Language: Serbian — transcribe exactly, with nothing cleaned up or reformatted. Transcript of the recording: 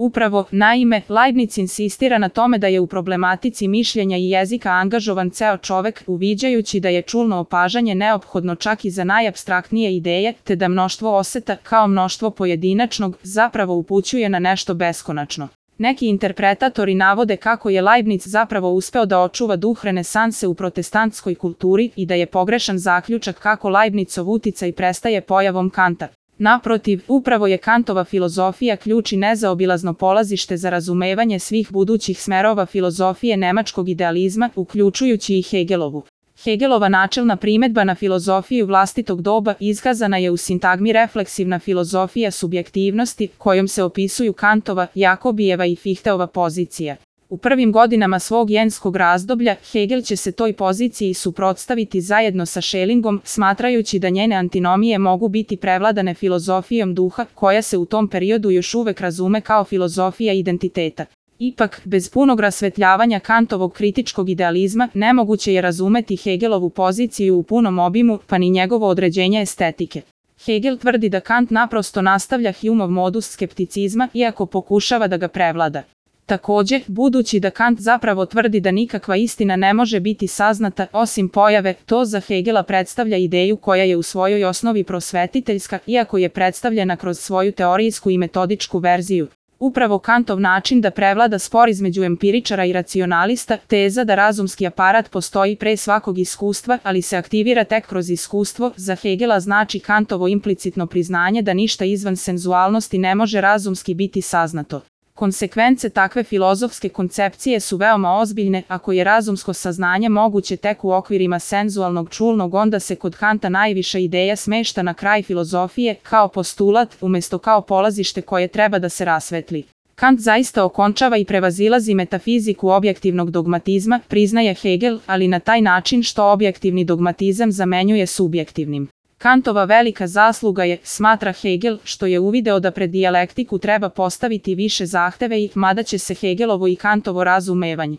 Upravo, naime, Leibniz insistira na tome da je u problematici mišljenja i jezika angažovan ceo čovek, uviđajući da je čulno opažanje neophodno čak i za najapstraktnije ideje, te da mnoštvo oseta, kao mnoštvo pojedinačnog, zapravo upućuje na nešto beskonačno. Neki interpretatori navode kako je Leibniz zapravo uspeo da očuva duh renesanse u protestantskoj kulturi i da je pogrešan zaključak kako Leibnizov uticaj prestaje pojavom Kanta. Naprotiv, upravo je Kantova filozofija ključ i nezaobilazno polazište za razumevanje svih budućih smerova filozofije nemačkog idealizma, uključujući i Hegelovu. Hegelova načelna primedba na filozofiju vlastitog doba iskazana je u sintagmi refleksivna filozofija subjektivnosti, kojom se opisuju Kantova, Jakobijeva i Fichteova pozicija. U prvim godinama svog jenskog razdoblja, Hegel će se toj poziciji suprotstaviti zajedno sa Schellingom, smatrajući da njene antinomije mogu biti prevladane filozofijom duha, koja se u tom periodu još uvek razume kao filozofija identiteta. Ipak, bez punog rasvetljavanja Kantovog kritičkog idealizma, nemoguće je razumeti Hegelovu poziciju u punom obimu, pa ni njegovo određenje estetike. Hegel tvrdi da Kant naprosto nastavlja Humeov modus skepticizma, iako pokušava da ga prevlada. Takođe, budući da Kant zapravo tvrdi da nikakva istina ne može biti saznata osim pojave, to za Hegela predstavlja ideju koja je u svojoj osnovi prosvetiteljska, iako je predstavljena kroz svoju teorijsku i metodičku verziju. Upravo Kantov način da prevlada spor između empiričara i racionalista, teza da razumski aparat postoji pre svakog iskustva, ali se aktivira tek kroz iskustvo, za Hegela znači Kantovo implicitno priznanje da ništa izvan senzualnosti ne može razumski biti saznato. Konsekvence takve filozofske koncepcije su veoma ozbiljne, ako je razumsko saznanje moguće tek u okvirima senzualnog čulnog, onda se kod Kanta najviša ideja smešta na kraj filozofije, kao postulat, umesto kao polazište koje treba da se rasvetli. Kant zaista okončava i prevazilazi metafiziku objektivnog dogmatizma, priznaje Hegel, ali na taj način što objektivni dogmatizam zamenjuje subjektivnim. Kantova velika zasluga je, smatra Hegel, što je uvideo da pred dijalektiku treba postaviti više zahteve i, mada će se Hegelovo i Kantovo razumevanje